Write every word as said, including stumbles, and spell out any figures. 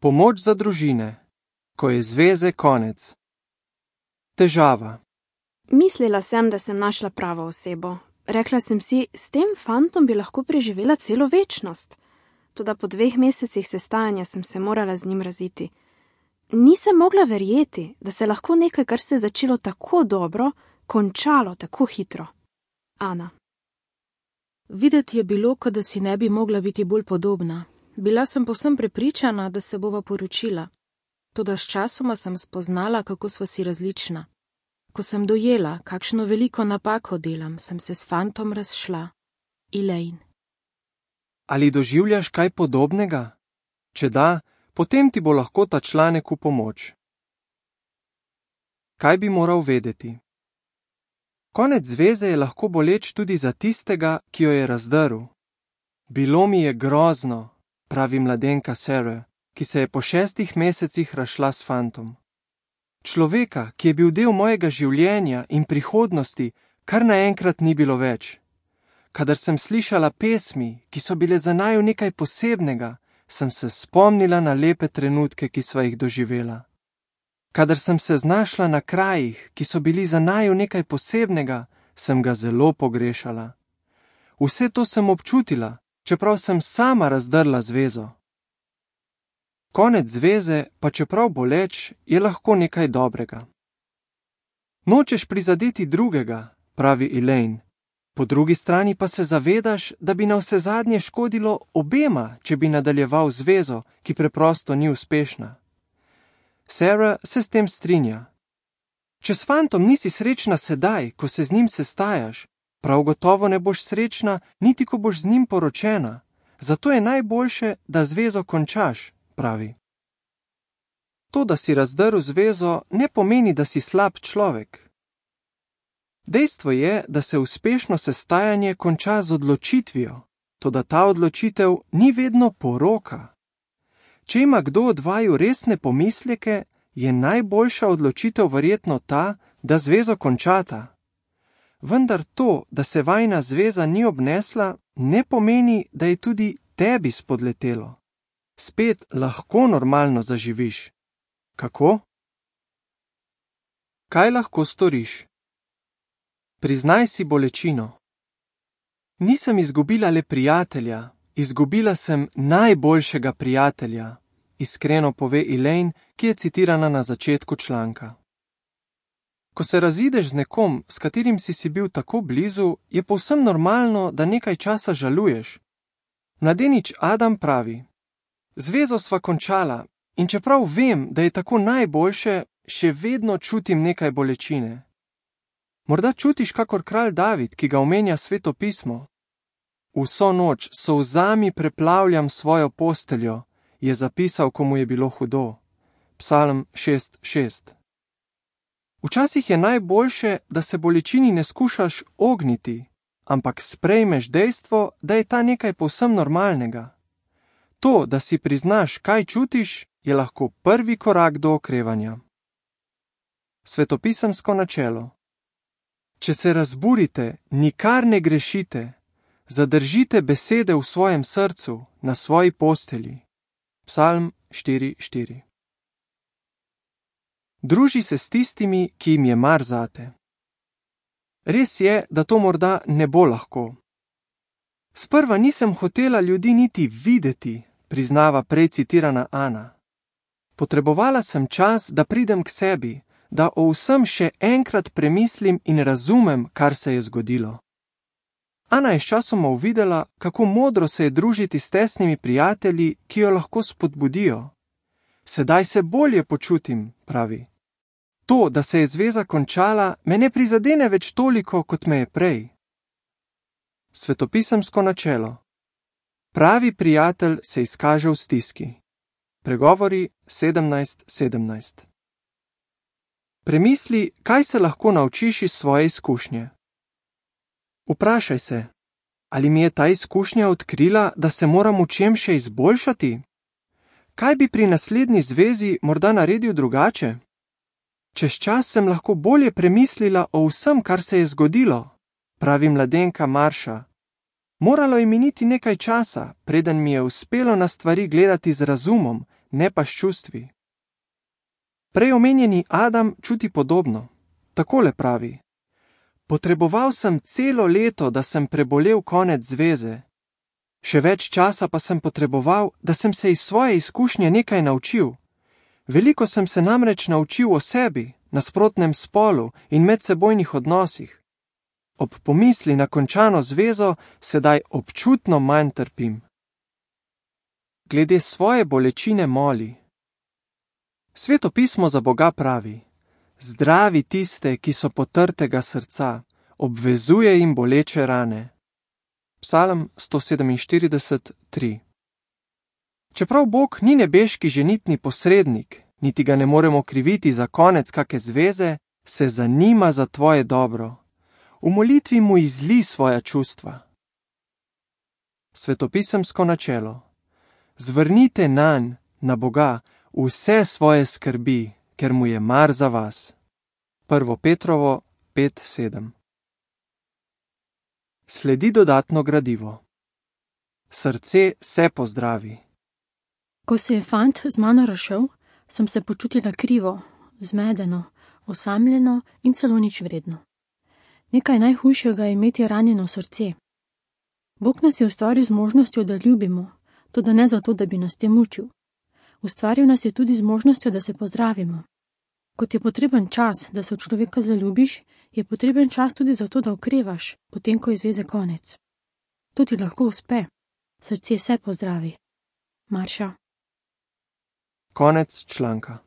Pomoč za družine, ko je zveze konec. Težava. Mislila sem, da sem našla pravo osebo. Rekla sem si, s tem fantom bi lahko preživela celo večnost. Toda po dveh mesecih sestajanja sem se morala z njim raziti. Nisem mogla verjeti, da se lahko nekaj, kar se je začelo tako dobro, končalo tako hitro. Ana. Videti je bilo, kot da si ne bi mogla biti bolj podobna. Bila sem povsem prepričana, da se bova poročila. Toda s časoma sem spoznala, kako sva si različna. Ko sem dojela, kakšno veliko napako delam, sem se s fantom razšla. Elaine. Ali doživljaš kaj podobnega? Če da, potem ti bo lahko ta članek v pomoč. Kaj bi moral vedeti? Konec zveze je lahko boleč tudi za tistega, ki jo je razdrl. Bilo mi je grozno, pravi mladenka Sarah, ki se je po šestih mesecih razšla s fantom. Človeka, ki je bil del mojega življenja in prihodnosti, kar naenkrat ni bilo več. Kadar sem slišala pesmi, ki so bile za naju nekaj posebnega, sem se spomnila na lepe trenutke, ki sva jih doživela. Kadar sem se znašla na krajih, ki so bili za naju nekaj posebnega, sem ga zelo pogrešala. Vse to sem občutila, čeprav sem sama razdrla zvezo. Konec zveze, pa čeprav boleč, je lahko nekaj dobrega. Nočeš prizadeti drugega, pravi Elaine. Po drugi strani pa se zavedaš, da bi navsezadnje škodilo obema, če bi nadaljeval zvezo, ki preprosto ni uspešna. Sarah se s tem strinja. Če s fantom nisi srečna sedaj, ko se z njim sestajaš, prav gotovo ne boš srečna, niti ko boš z njim poročena. Zato je najboljše, da zvezo končaš, pravi. To, da si razdrl zvezo, ne pomeni, da si slab človek. Dejstvo je, da se uspešno sestajanje konča z odločitvijo, toda ta odločitev ni vedno poroka. Če ima kdo od vaju resne pomisleke, je najboljša odločitev verjetno ta, da zvezo končata. Vendar to, da se vajina zveza ni obnesla, ne pomeni, da je tudi tebi spodletelo. Spet lahko normalno zaživiš. Kako? Kaj lahko storiš? Priznaj si bolečino. Nisem izgubila le prijatelja, izgubila sem najboljšega prijatelja, iskreno pove Elaine, ki je citirana na začetku članka. Ko se razideš z nekom, s katerim si si bil tako blizu, je povsem normalno, da nekaj časa žaluješ. Mladenič Adam pravi: Zvezo sva končala in čeprav vem, da je tako najboljše, še vedno čutim nekaj bolečine. Morda čutiš kakor kralj David, ki ga omenja Sveto pismo. Vso noč s solzami preplavljam svojo posteljo, je zapisal, ko mu je bilo hudo. Psalm šest šest. Včasih je najboljše, da se bolečini ne skušaš ogniti, ampak sprejmeš dejstvo, da je ta nekaj povsem normalnega. To, da si priznaš, kaj čutiš, je lahko prvi korak do okrevanja. Svetopisemsko načelo. Če se razburite, nikar ne grešite, zadržite besede v svojem srcu, na svoji postelji. Psalm štiri štiri. Druži se s tistimi, ki jim je mar zate. Res je, da to morda ne bo lahko. Sprva nisem hotela ljudi niti videti, priznava prej citirana Ana. Potrebovala sem čas, da pridem k sebi, da o vsem še enkrat premislim in razumem, kar se je zgodilo. Ana je sčasoma uvidela, kako modro se je družiti s tesnimi prijatelji, ki jo lahko spodbudijo. Sedaj se bolje počutim, pravi. To, da se je zveza končala, me ne prizadene več toliko, kot me je prej. Svetopisemsko načelo. Pravi prijatelj se izkaže v stiski. Pregovori sedemnajst sedemnajst. Premisli, kaj se lahko naučiš iz svoje izkušnje. Vprašaj se, ali mi je ta izkušnja odkrila, da se moram v čem še izboljšati? Kaj bi pri naslednji zvezi morda naredil drugače? Čez čas sem lahko bolje premislila o vsem, kar se je zgodilo, pravi mladenka Marša. Moralo je miniti nekaj časa, preden mi je uspelo na stvari gledati z razumom, ne pa s čustvi. Prej omenjeni Adam čuti podobno. Takole pravi: Potreboval sem celo leto, da sem prebolel konec zveze. Še več časa pa sem potreboval, da sem se iz svoje izkušnje nekaj naučil. Veliko sem se namreč naučil o sebi, nasprotnem spolu in medsebojnih odnosih. Ob pomisli na končano zvezo sedaj občutno manj trpim. Glede svoje bolečine moli. Sveto pismo za Boga pravi: Zdravi tiste, ki so potrtega srca, obvezuje jim boleče rane. Psalm sto sedeminštirideset, tri. Čeprav Bog ni nebeški ženitni posrednik, niti ga ne moremo kriviti za konec kake zveze, se zanima za tvoje dobro. V molitvi mu izli svoja čustva. Svetopisemsko načelo. Zvrnite nanj, na Boga, vse svoje skrbi, ker mu je mar za vas. Prvo Petrovo pet sedem. Sledi dodatno gradivo. Srce se pozdravi. Ko se je fant z mano razšel, sem se počutila krivo, zmedeno, osamljeno in celo nič vredno. Nekaj najhujšega je imeti ranjeno srce. Bog nas je ustvaril z možnostjo, da ljubimo, toda ne zato, da bi nas tem mučil. Ustvaril nas je tudi z možnostjo, da se pozdravimo. Kot je potreben čas, da se v človeka zaljubiš, je potreben čas tudi zato, da okrevaš, potem ko je zveze konec. To ti lahko uspe. Srce se pozdravi. Marša. Konec članka.